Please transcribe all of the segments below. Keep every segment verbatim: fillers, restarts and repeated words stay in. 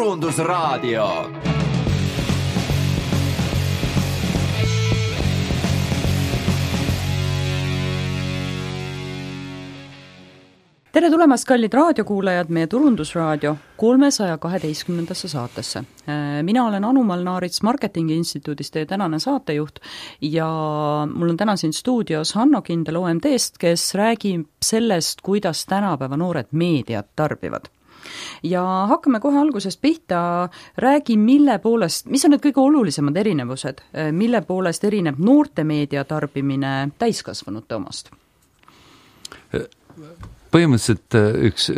Turundusraadio. Tere tulemast, kallid raadiokuulajad, meie Turundusraadio kolmesaja kaheteistkümnendasse saatesse. Mina olen Anu Malnaarits Marketingi Instituudist teie tänane saatejuht ja mul on täna siin stuudios Hanno Kindel O M T-st, kes räägib sellest, kuidas tänapäeva noored meediat tarbivad. Ja hakkame kohe algusest pihta, räägi mille poolest, mis on need kõige olulisemad erinevused, mille poolest erineb noorte meedia tarbimine täiskasvanute omast? Põhimõtteliselt üks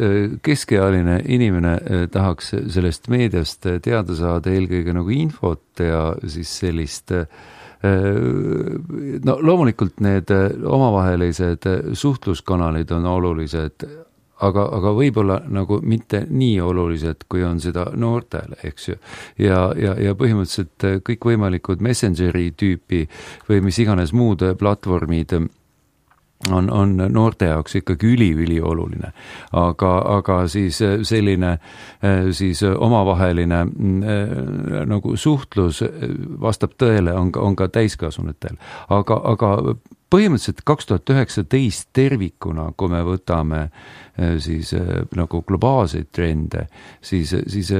keskealine inimene tahaks sellest meediast teada saada eelkõige nagu infot ja siis sellist, no loomulikult need omavahelised suhtluskanalid on olulised, aga, aga võib-olla nagu mitte nii olulised, kui on seda noortele, eks ju. Ja, ja, ja põhimõtteliselt kõik võimalikud Messengeri tüüpi või mis iganes muud platvormid on, on noorte jaoks ikkagi üli-üli oluline. Aga, aga siis selline siis omavaheline nagu suhtlus vastab tõele on, on ka täiskasvanutel. Aga, aga põhimõtteliselt kaks tuhat üheksateist tervikuna, kui me võtame siis nagu globaalseid trende, siis, siis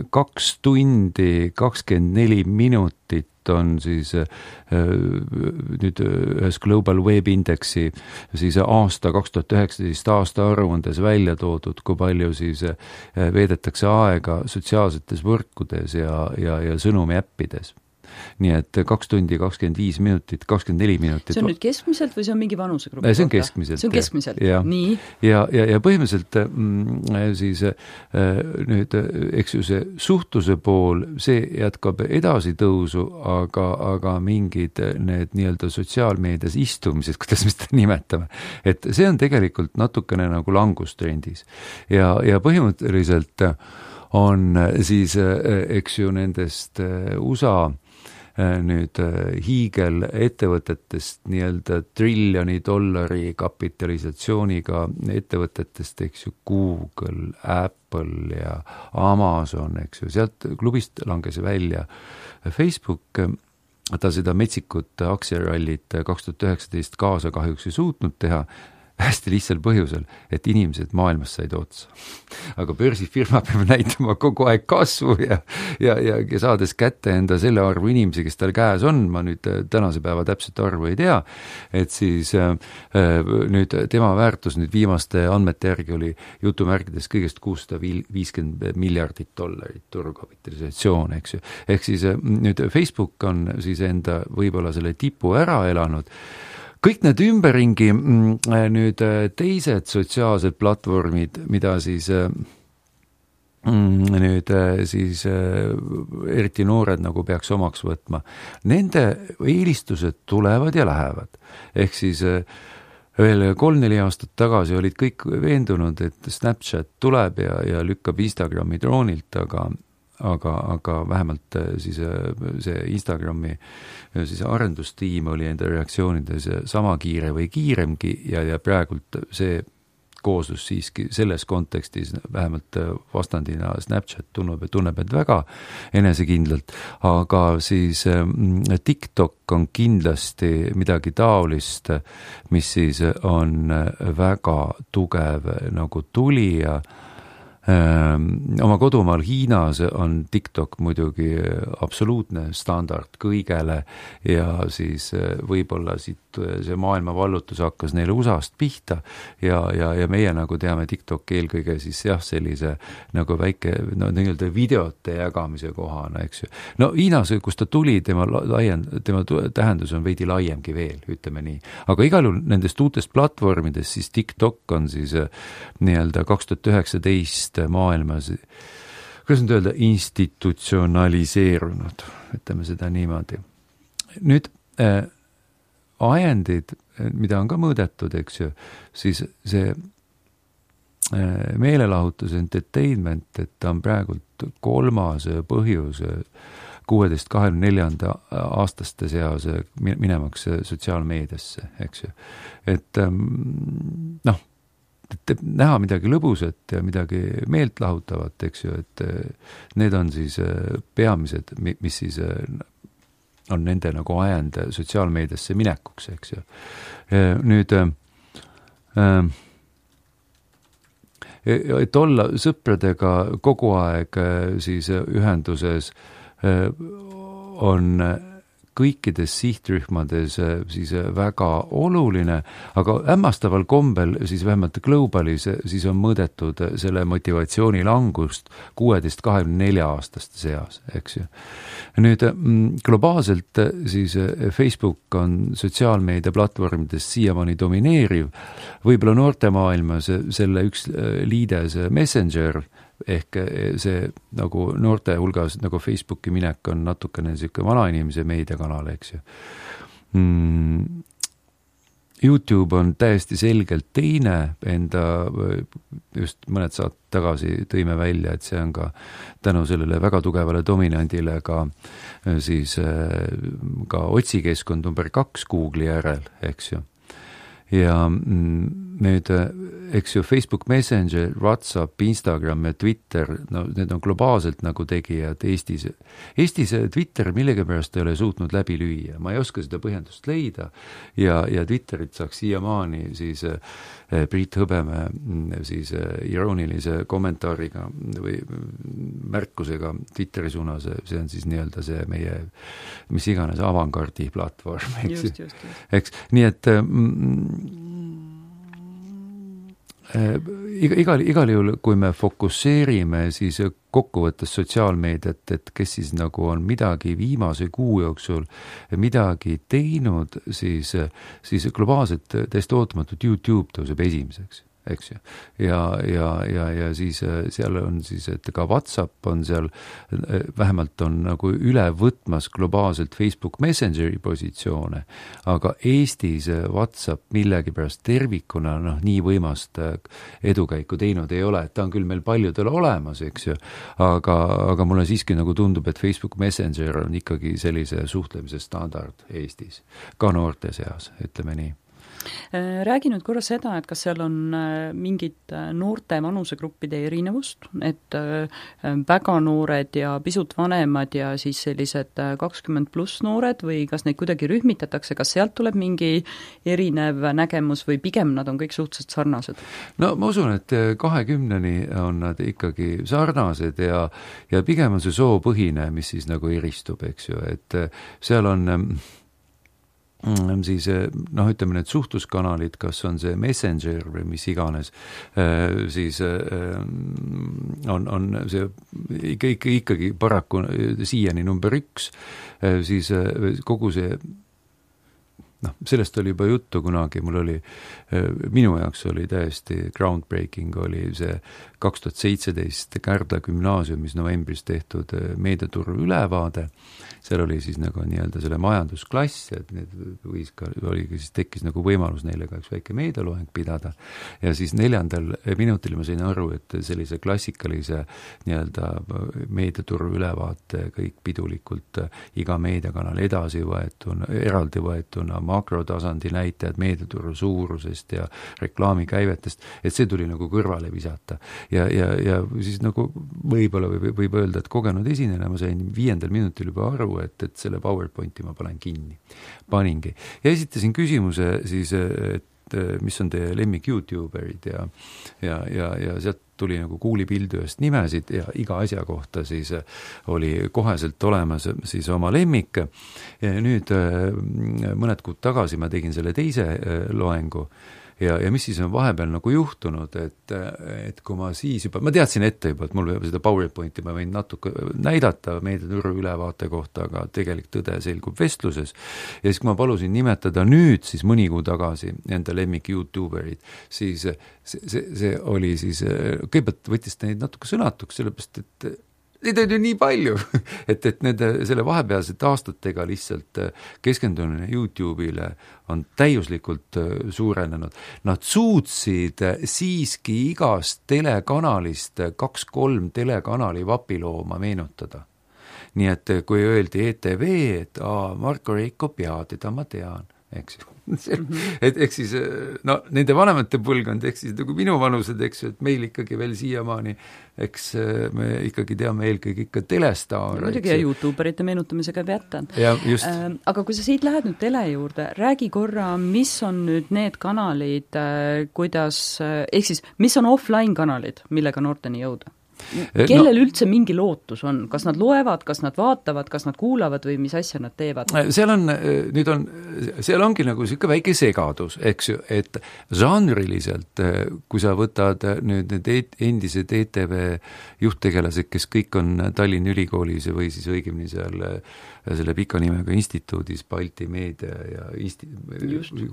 kaks tundi, kakskümmend neli minutit on siis nüüd ühes Global Web Indexi siis aasta kaks tuhat üheksateist aasta aruandes välja toodud, kui palju siis veedetakse aega sotsiaalsetes võrkudes ja, ja, ja sõnumi äppides. Nii et kaks tundi, kakskümmend viis minutit, kakskümmend neli minutit. See on nüüd keskmiselt või see on mingi vanusegrupi? See on keskmiselt. See on keskmiselt, ja, nii. Ja, ja, ja põhimõtteliselt siis nüüd, eks ju see suhtluse pool, see jätkab edasi tõusu, aga, aga mingid need nii-öelda sotsiaalmeedias istumised, kuidas me seda nimetame, et see on tegelikult natukene nagu langustrendis. Ja, ja põhimõtteliselt on siis, eks ju, nendest U S A nüüd hiigel ettevõtetest nii-öelda triljoni dollari kapitalisatsiooniga ettevõtetest, eks ju, Google, Apple ja Amazon, eks ju, sealt klubist langes välja Facebook, ta seda metsikut aktsiarallit kaks tuhat üheksateist kaasa kahjuks ei suutnud teha, hästi lihtsal põhjusel, et inimesed maailmas said otsa. Aga börsifirma peab näitama kogu aeg kasvu ja, ja, ja, ja saades kätte enda selle arvu inimesi, kes tal käes on, ma nüüd tänase päeva täpselt arvu ei tea, et siis äh, nüüd tema väärtus nüüd viimaste andmete järgi oli jutumärkides kõigest kuussada viiskümmend miljardit dollarit turukapitalisatsioon, eks ju. Ehk siis äh, nüüd Facebook on siis enda võib-olla selle tipu ära elanud. Kõik need ümberringi nüüd teised sotsiaalsed platvormid, mida siis nüüd siis eriti noored nagu peaks omaks võtma, nende eelistused tulevad ja lähevad. Ehk siis veel kolm-neli aastat tagasi olid kõik veendunud, et Snapchat tuleb ja, ja lükkab Instagrami droonilt, aga aga, aga vähemalt siis see Instagrami siis arendustiim oli enda reaktsioonides sama kiire või kiiremgi ja, ja praegult see kooslus siiski selles kontekstis vähemalt vastandina Snapchat tunneb, tunneb et väga enesekindlalt, aga siis TikTok on kindlasti midagi taolist, mis siis on väga tugev nagu tulija. Oma kodumaal Hiinas on TikTok muidugi absoluutne standard kõigele ja siis võib-olla siit see maailma vallutus hakkas neile U S A-st pihta ja, ja, ja meie nagu teame TikTok eelkõige siis jah, sellise nagu väike no, nii-öelda videote jagamise kohana, eks ju. No Hiinas, kus ta tuli, tema, laien, tema tähendus on veidi laiemgi veel, ütleme nii. Aga igal juhul nendest uutest platvormidest siis TikTok on siis nii-öelda kaks tuhat üheksateist maailmas, kuidas nüüd öelda, institutsionaliseerunud, ütleme seda niimoodi. Nüüd äh, ajendid, mida on ka mõõdetud, eks ju, siis see äh, meelelahutus entertainment, et ta on praegult kolmas põhjus kuueteist kahekümne neljanda aastaste seas minemaks sotsiaalmeediasse, eks ju. Et ähm, noh, et näha midagi lõbusat ja midagi meeltlahutavat, eks ju, et need on siis peamised, mis siis on nende nagu ajend sotsiaalmeediasse minekuks, eks ju. Nüüd et olla sõpradega kogu aeg siis ühenduses on kõikides sihtrühmades siis väga oluline, aga hämmastaval kombel siis vähemalt Globalis siis on mõõdetud selle motivatsiooni langust kuueteist kahekümne nelja aastaste seas, eks ju. Nüüd globaalselt siis Facebook on sotsiaalmeedia platvormides siiamaani domineeriv, võib-olla noortemaailmas selle üks liides Messenger, ehk see nagu noorte hulgas nagu Facebooki minek on natukene niisugune vanainimese meediakanal, eks ju. Mm. YouTube on täiesti selgelt teine, enda just mõned saad tagasi tõime välja, et see on ka tänu sellele väga tugevale dominandile ka siis ka otsikeskkond number kaks Google'i järel, eks ju. Ja nüüd, eks ju, Facebook Messenger, WhatsApp, Instagram ja Twitter, no need on globaalselt nagu tegijad Eestis. Eestis Twitter millegi pärast ei ole suutnud läbi lüüa, ma ei oska seda põhjendust leida ja, ja Twitterit saaks siiamaani siis Priit Hõbemäe siis iroonilise kommentaariga või märkusega Twitteri suunas, see on siis nii-öelda see meie, mis iganes avantgardi platvorm, eks, just, just, just. eks, nii et mm, igal, igal juhul, kui me fokusseerime siis kokkuvõttes sotsiaalmeediat, et kes siis nagu on midagi viimase kuu jooksul midagi teinud, siis, siis globaalselt täiesti ootamatult YouTube tõuseb esimeseks, eks ju. Ja, ja, ja, ja siis seal on siis, et ka WhatsApp on seal, vähemalt on nagu üle võtmas globaalselt Facebook Messengeri positsioone, aga Eestis WhatsApp millegi pärast tervikuna noh, nii võimast edukäiku teinud ei ole, et ta on küll meil paljudel olemas, eks ju, aga, aga mulle siiski nagu tundub, et Facebook Messenger on ikkagi sellise suhtlemise standard Eestis, ka noorte seas, ütleme nii. Räägi nüüd korra seda, et kas seal on mingid noorte vanusegruppide erinevust, et väga noored ja pisut vanemad ja siis sellised kakskümmend pluss noored või kas neid kuidagi rühmitatakse, kas sealt tuleb mingi erinev nägemus või pigem nad on kõik suhteliselt sarnased? No ma usun, et kahekümneni on nad ikkagi sarnased ja, ja pigem on see soopõhine, mis siis nagu eristub, eks ju, et seal on siis noh, ütleme need suhtluskanalid, kas on see Messenger või mis iganes, siis on, on see ikka, ikka, ikkagi paraku siiani number üks, siis kogu see noh, sellest oli juba juttu kunagi, mul oli, minu jaoks oli täiesti groundbreaking, oli see kaks tuhat seitseteist Kärdla gümnaasiumis novembris tehtud meediaturu ülevaade, seal oli siis nagu nii-öelda selle majandusklass, et need võis ka, oli, siis tekkis nagu võimalus neile ka üks väike meedialoeng pidada ja siis neljandal minutil ma sain aru, et sellise klassikalise nii-öelda meediaturu ülevaate kõik pidulikult iga meediakanal edasi võetuna, eraldi võetuna, makrotasandi näitajad meediaturu suurusest ja reklaamikäivetest, et see tuli nagu kõrvale visata. Ja, ja, ja siis nagu võib-olla võib, võib öelda, et kogenud esinejana ma sain viiendal minutil juba aru, et, et selle PowerPointi ma panen kinni. Paningi. Ja esitasin küsimuse siis, et mis on teie lemmik YouTuberid ja, ja, ja, ja sealt tuli nagu kuulipildujast nimesid ja iga asja kohta siis oli koheselt olemas siis oma lemmik. Ja nüüd mõned kuud tagasi ma tegin selle teise loengu ja, ja mis siis on vahepeal nagu juhtunud, et, et kui ma siis juba, ma teadsin ette juba, et mul seda PowerPointi ma võin natuke näidata meediaturu ülevaate kohta, aga tegelik tõde selgub vestluses. Ja siis kui ma palusin nimetada nüüd siis mõni kuu tagasi enda lemmik YouTuberid, siis see, see, see oli siis, kõigepealt võttis ta neid natuke sõnatuks, sellepärast et neid on ju nii palju, et, et nende, selle vahepealsete aastatega lihtsalt keskendumine YouTube'ile on täiuslikult suurenenud. Nad suutsid siiski igast telekanalist kaks-kolm telekanali vapilooma meenutada. Nii et kui öeldi E T V, et aa, Marko Reikop, jaa, teda ma tean, eks mm-hmm. et eks siis no nende vanemate põlvkond, eks siis nagu minu vanused, eks ju, et meil ikkagi veel siiamaani, eks me ikkagi teame eelkõige ikka telestaare. Muidugi ja YouTuberite meenutamise käib jätta. Ja, just. Äh, aga kui sa siit lähed nüüd tele juurde, räägi korra, mis on nüüd need kanalid, äh, kuidas, äh, ehk siis, mis on offline kanalid, millega noorteni jõuda? Kellel no, üldse mingi lootus on? Kas nad loevad, kas nad vaatavad, kas nad kuulavad või mis asja nad teevad? Seal on, nüüd on, seal ongi nagu siuke väike segadus, eks ju, et žanriliselt, kui sa võtad nüüd need endised E T V juhttegelased, kes kõik on Tallinna Ülikoolis või siis õigemini seal selle pika nimega instituudis, Balti meedia ja insti,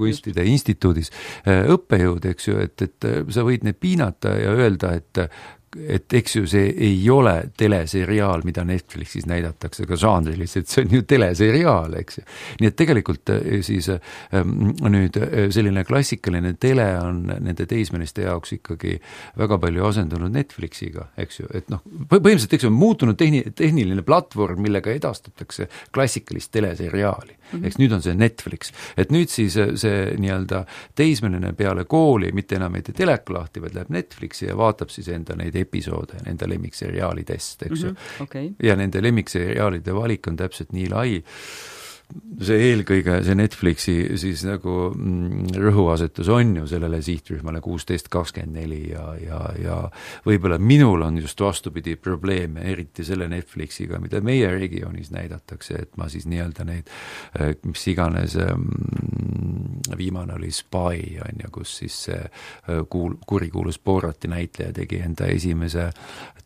kunstide instituudis õppejõud, eks ju, et, et sa võid need piinata ja öelda, et et eks ju see ei ole teleseriaal, mida Netflixis näidatakse ka žanriliselt, see on ju teleseriaal, eks ju. Nii et tegelikult siis nüüd selline klassikaline tele on nende teismeliste jaoks ikkagi väga palju asendunud Netflixiga, eks ju, et noh, põhimõtteliselt eks ju on muutunud tehni, tehniline platvorm, millega edastatakse klassikalist teleseriaali. Mm-hmm. Eks nüüd on see Netflix, et nüüd siis see nii-öelda teismeline peale kooli mitte enam ei tee teleka lahti, vaid läheb Netflixi ja vaatab siis enda neid episoode, nende lemmikseriaalidest, eks ju. Mm-hmm. Okay. Ja nende lemmikseriaalide valik on täpselt nii lai, see eelkõige, see Netflixi siis nagu mm, rõhuasetus on ju sellele sihtrühmale kuusteist kakskümmend neli ja, ja, ja võib-olla minul on just vastupidi probleeme, eriti selle Netflixiga, mida meie regioonis näidatakse, et ma siis nii-öelda neid, mis iganes mm, viimane oli Spy, on ju, kus siis see kuul, kurikuulus Borati näitleja tegi enda esimese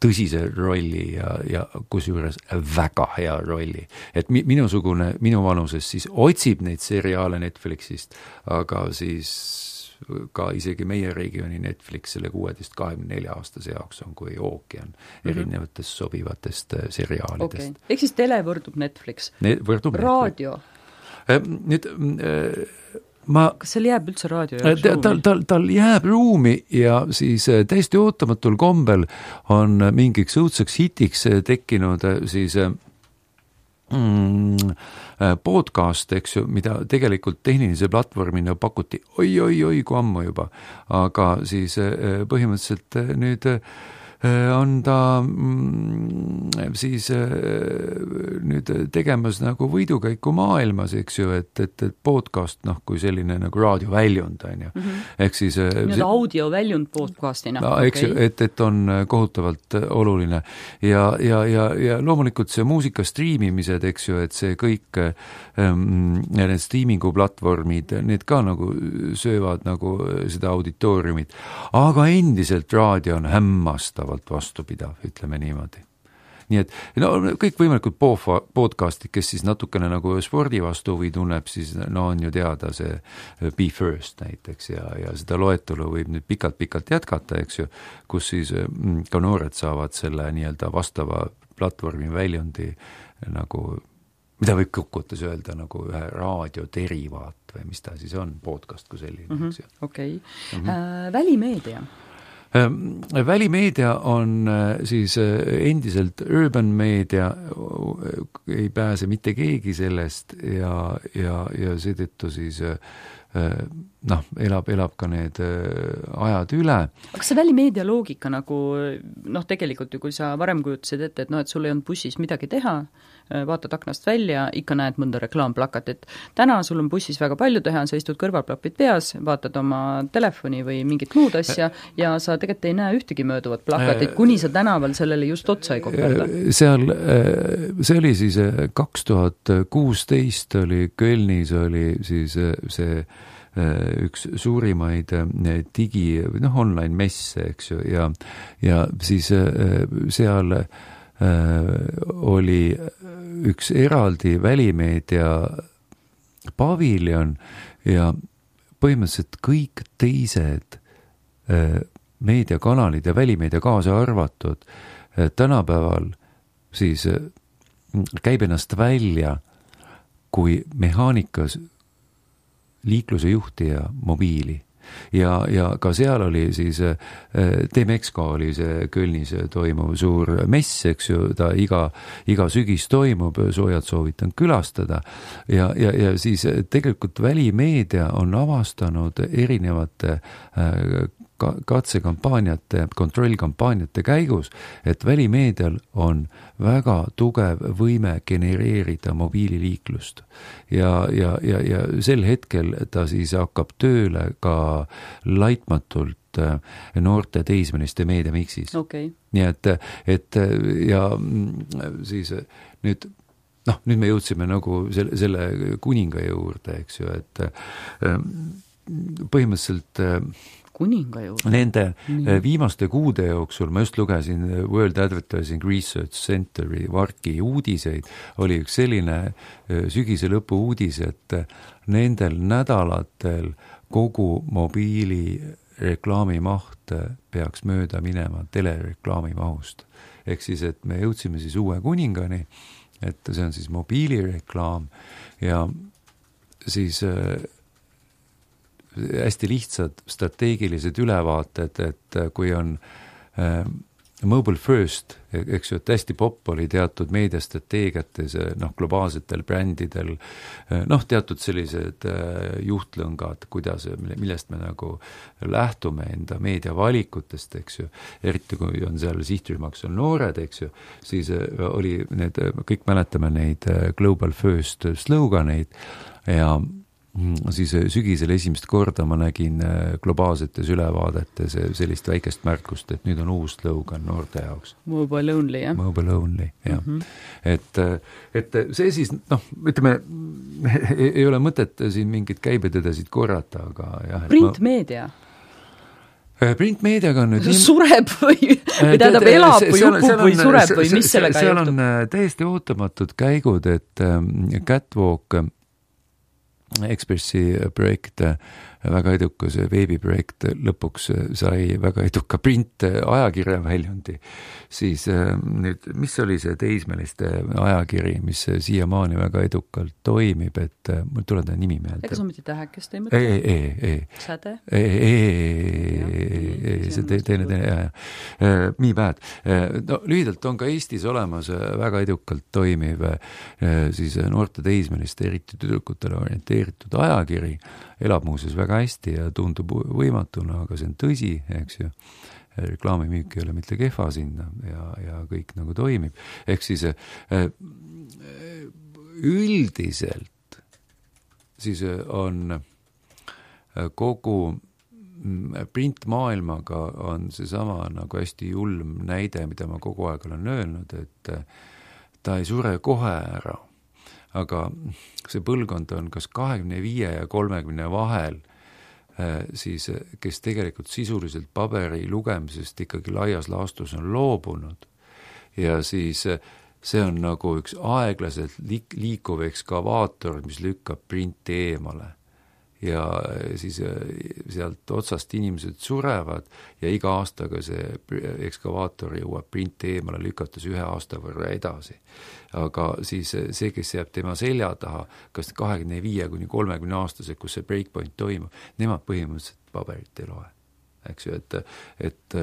tõsise rolli ja, ja kusjuures väga hea rolli. Et mi, minusugune, minu vanuses siis otsib neid seriaale Netflixist, aga siis ka isegi meie regiooni Netflix selle kuueteist kahekümne nelja aastase jaoks on kui ookean mm-hmm. erinevatest sobivatest seriaalidest. Okay. Ehk siis tele võrdub Netflix. Ne, võrdub raadio? Nüüd äh, ma, kas seal jääb üldse raadio jaoks ruumi? Tal, tal, tal jääb ruumi ja siis täiesti ootamatul kombel on mingiks õudseks hitiks tekkinud siis mm, podcast, eks ju, mida tegelikult tehnilise platvormina pakuti oi-oi-oi kui ammu juba, aga siis põhimõtteliselt nüüd on ta mm, siis nüüd tegemas nagu võidukäiku maailmas, eks ju, et, et, et podcast, noh, kui selline nagu raadioväljund, on ju. Mm-hmm. Ehk siis nii-öelda see, audioväljund podcastina. No, eks okay. ju, et, et on kohutavalt oluline. Ja, ja, ja, ja loomulikult see muusika striimimised, eks ju, et see kõik ähm, need striimingu platvormid, need ka nagu söövad nagu seda auditooriumit. Aga endiselt raadio on hämmastav vastupidav, ütleme niimoodi. Nii et no, kõik võimalikud podcastid, kes siis natukene nagu spordi vastu või tunneb, siis no on ju teada see Be First näiteks ja, ja seda loetelu võib nüüd pikalt-pikalt jätkata, eks ju, kus siis ka noored saavad selle nii-öelda vastava platvormi väljundi nagu, mida võib kokkuvõttes öelda nagu ühe raadioderivaat või mis ta siis on, podcast kui selline, mm-hmm. eks ju. Okei. Okay. Mm-hmm. Äh, välimeedia? Välimeedia on siis endiselt urban meedia, ei pääse mitte keegi sellest ja, ja, ja seetõttu siis noh, elab, elab ka need ajad üle. Aga see välimeedia loogika nagu, noh tegelikult ju, kui sa varem kujutasid ette, et noh, et sul ei olnud bussis midagi teha, vaatad aknast välja, ikka näed mõnda reklaamplakatit. Täna sul on bussis väga palju teha, sa istud kõrvalplapid peas, vaatad oma telefoni või mingit muud asja ja sa tegelikult ei näe ühtegi mööduvat plakatit, kuni sa tänaval sellele just otsa ei koperda. Seal, see oli siis kaks tuhat kuusteist oli Kölnis oli siis see üks suurimaid digi, noh, online messe, eks ju, ja, ja siis seal oli üks eraldi välimeedia paviljon ja põhimõtteliselt kõik teised meediakanalid ja välimeedia kaasa arvatud tänapäeval siis käib ennast välja kui mehaanikas liikluse juhtija mobiili. ja, ja ka seal oli siis Demexco oli see Kölnis toimuv suur mess, eks ju, ta iga, iga sügis toimub, soojad soovitan külastada ja, ja, ja siis tegelikult välimeedia on avastanud erinevate katsekampaaniate, kontrollkampaaniate käigus, et välimeedial on väga tugev võime genereerida mobiililiiklust. Ja, ja, ja, ja sel hetkel ta siis hakkab tööle ka laitmatult noorte teismeliste meediamiksis. Okay. Nii et, et ja siis nüüd noh, nüüd me jõudsime nagu selle, selle kuninga juurde, eks ju, et põhimõtteliselt kuninga juurde. Nende Nii. viimaste kuude jooksul, ma just lugesin World Advertising Research Centeri Varki uudiseid, oli üks selline sügise lõpu uudis, et nendel nädalatel kogu mobiili reklaamimaht peaks mööda minema telereklaami mahust. Ehk siis, et me jõudsime siis uue kuningani, et see on siis mobiilireklaam ja siis hästi lihtsad strateegilised ülevaated, et kui on äh, mobile first, eks ju, et hästi popp oli teatud meediastrateegiates, noh, globaalsetel brändidel, noh, teatud sellised äh, juhtlõngad, kuidas, millest me nagu lähtume enda meediavalikutest, eks ju, eriti kui on seal sihtrühmaks on noored, eks ju, siis oli need, kõik mäletame neid global first sloganeid ja siis sügisel esimest korda ma nägin globaalsetes ülevaadetes sellist väikest märkust, et nüüd on uus slogan noorte jaoks. Mobile only, jah? Mobile only, jah. Mm-hmm. Et, et see siis, noh, ütleme, ei ole mõtet siin mingid käibetõdesid korrata, aga jah. Printmeedia? Ma... Printmeediaga on nüüd... Sureb või, või tähendab elab või upub või sureb või mis sellega juhtub? Seal on täiesti ootamatud käigud, et Catwalk Ekspressi projekt, väga edukas veebiprojekt, lõpuks sai väga eduka print ajakirja väljundi. Siis nüüd, mis oli see teismeliste ajakiri, mis siiamaani väga edukalt toimib, et mul tuleb ta nimi meelde. Ega sa mõtid tähekest ei mõtle? Ei, ei, ei. Säde? Ei, ei, ei, see teine, teine, jah, jah. Me bad. No, lühidalt on ka Eestis olemas väga edukalt toimiv siis noorte teismeliste, eriti tüdrukutele orienteeritud ajakiri, elab muuseas väga hästi ja tundub võimatuna, aga see on tõsi, eks ju. Reklaamimüük ei ole mitte kehva sinna ja, ja kõik nagu toimib. Ehk siis üldiselt siis on kogu printmaailmaga on see sama nagu hästi julm näide, mida ma kogu aeg olen öelnud, et ta ei sure kohe ära. Aga see põlvkond on kas kahekümne viie ja kolmekümne vahel, siis, kes tegelikult sisuliselt paberi lugemisest ikkagi laias laastus on loobunud. Ja siis see on nagu üks aeglaselt liikuv ekskavaator, mis lükkab printi eemale. Ja siis sealt otsast inimesed surevad ja iga aastaga see ekskavaator jõuab printi eemale lükates ühe aasta võrra edasi. Aga siis see, kes jääb tema selja taha, kas kahekümne viie kuni kolmekümne aastase, kus see breakpoint toimub, nemad põhimõtteliselt paberit ei loe. Eks ju, et, et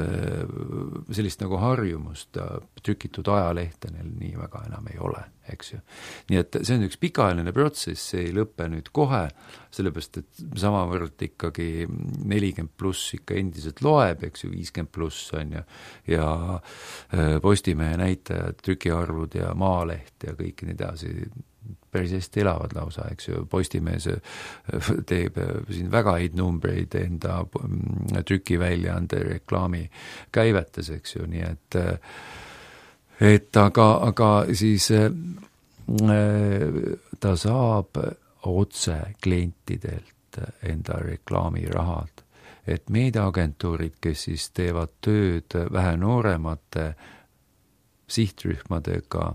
sellist nagu harjumust trükitud ajalehte neil nii väga enam ei ole, eks ju. Nii et see on üks pikaajaline protsess, see ei lõppe nüüd kohe, sellepärast, et samavõrd ikkagi nelikümmend pluss ikka endiselt loeb, eks ju, viiskümmend pluss on ju, ja Postimehe näitajad, trükiarvud ja Maaleht ja kõik nii edasi päris hästi elavad lausa, eks ju, Postimees teeb siin väga häid numbreid enda trükiväljaande reklaami käivetes, eks ju, nii et et aga, aga siis ta saab otse klientidelt enda reklaamirahad, et meediaagentuurid, kes siis teevad tööd vähe nooremate sihtrühmadega,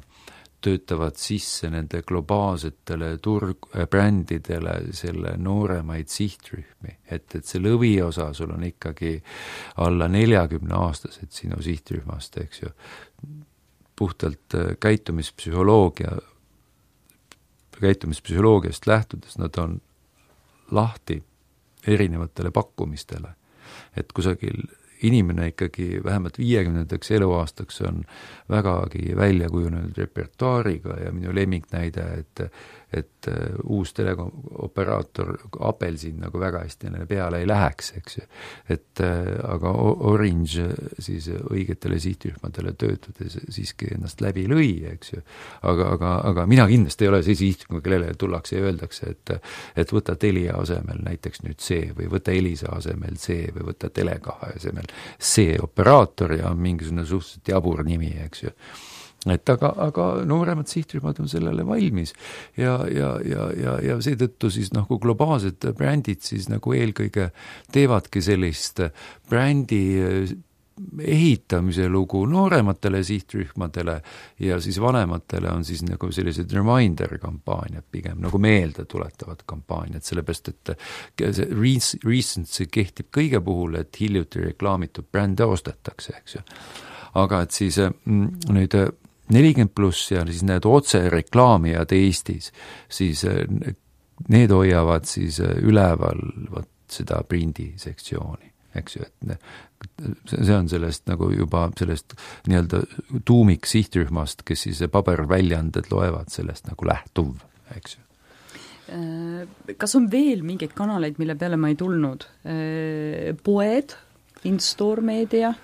töötavad sisse nende globaalsetele turg, brändidele selle nooremaid sihtrühmi, et, et see lõviosa sul on ikkagi alla neljakümne aastased sinu sihtrühmast, eks ju, puhtalt käitumispsühholoogia, käitumispsühholoogiast lähtudes nad on lahti erinevatele pakkumistele. Et kusagil inimene ikkagi vähemalt viiekümnendaks eluaastaks on vägagi välja kujunenud repertuaariga ja minu lemmiknäide, et et uus teleoperaator Apelsin nagu väga hästi neile peale ei läheks, eks ju. Et aga Orange siis õigetele sihtrühmadele töötades siiski ennast läbi lõi, eks ju. Aga, aga, aga mina kindlasti ei ole see sihtrühma, kellele tullakse ja öeldakse, et et võta Telia asemel näiteks nüüd see või võta Elisa asemel see või võta Telekahe asemel see operaator ja mingisugune suhteliselt jabur nimi, eks ju. Et aga, aga nooremad sihtrühmad on sellele valmis ja, ja, ja, ja, ja seetõttu siis nagu globaalsed brändid siis nagu eelkõige teevadki sellist brändi ehitamise lugu noorematele sihtrühmadele ja siis vanematele on siis nagu sellised reminder kampaaniad pigem nagu meelde tuletavad kampaaniad, sellepärast et see recency kehtib kõige puhul, et hiljuti reklaamitud brände ostetakse, eks ju. Aga et siis nüüd nelikümmend pluss ja siis need otse reklaamijad Eestis, siis need hoiavad siis üleval võt seda prindi sektsiooni, eks ju, et see on sellest nagu juba sellest nii-öelda tuumik sihtrühmast, kes siis paberväljaanded loevad sellest nagu lähtuv, eks ju. Kas on veel mingeid kanaleid, mille peale ma ei tulnud? Poed, in-store meedia?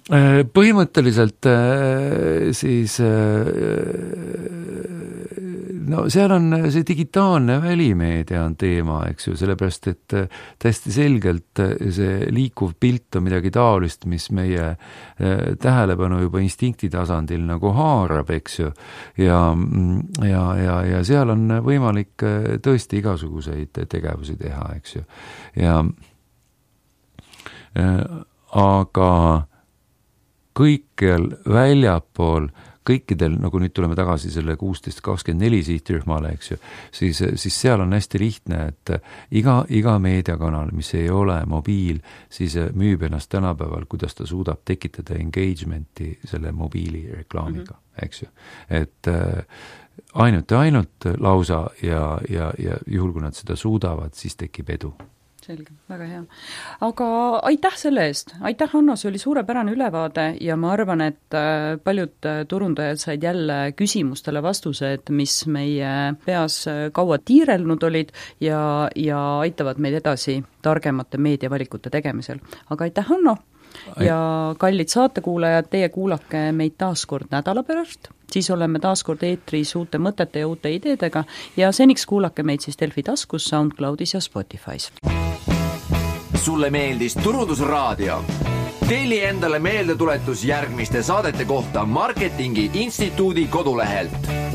Põhimõtteliselt siis no seal on see digitaalne välimeedia on teema, eks ju, sellepärast et täiesti selgelt see liikuv pilt on midagi taolist, mis meie tähelepanu juba instinkti tasandil nagu haarab, eks ju, ja, ja, ja, ja seal on võimalik tõesti igasuguseid tegevusi teha, eks ju, ja aga kõikjal väljapool, kõikidel, nagu nüüd tuleme tagasi selle kuusteist kakskümmend neli sihtrühmale, eks ju, siis, siis seal on hästi lihtne, et iga, iga meediakanal, mis ei ole mobiil, siis müüb ennast tänapäeval, kuidas ta suudab tekitada engagementi selle mobiilireklaamiga, mm-hmm. eks ju. Et ainult ja ainult lausa ja, ja, ja juhul, kui nad seda suudavad, siis tekib edu. Selge, väga hea. Aga aitäh selle eest. Aitäh, Hanno, see oli suurepärane ülevaade ja ma arvan, et paljud turundajad said jälle küsimustele vastused, mis meie peas kaua tiirelnud olid ja, ja aitavad meid edasi targemate meediavalikute tegemisel. Aga aitäh, Hanno! Ja kallid saatekuulajad, teie kuulake meid taaskord nädala pärast, siis oleme taaskord eetris uute mõtete ja uute ideedega ja seniks kuulake meid siis Delfi taskus, SoundCloudis ja Spotify's. Sulle meeldis Turundusraadio? Telli endale meeldetuletus järgmiste saadete kohta Marketingi Instituudi kodulehelt.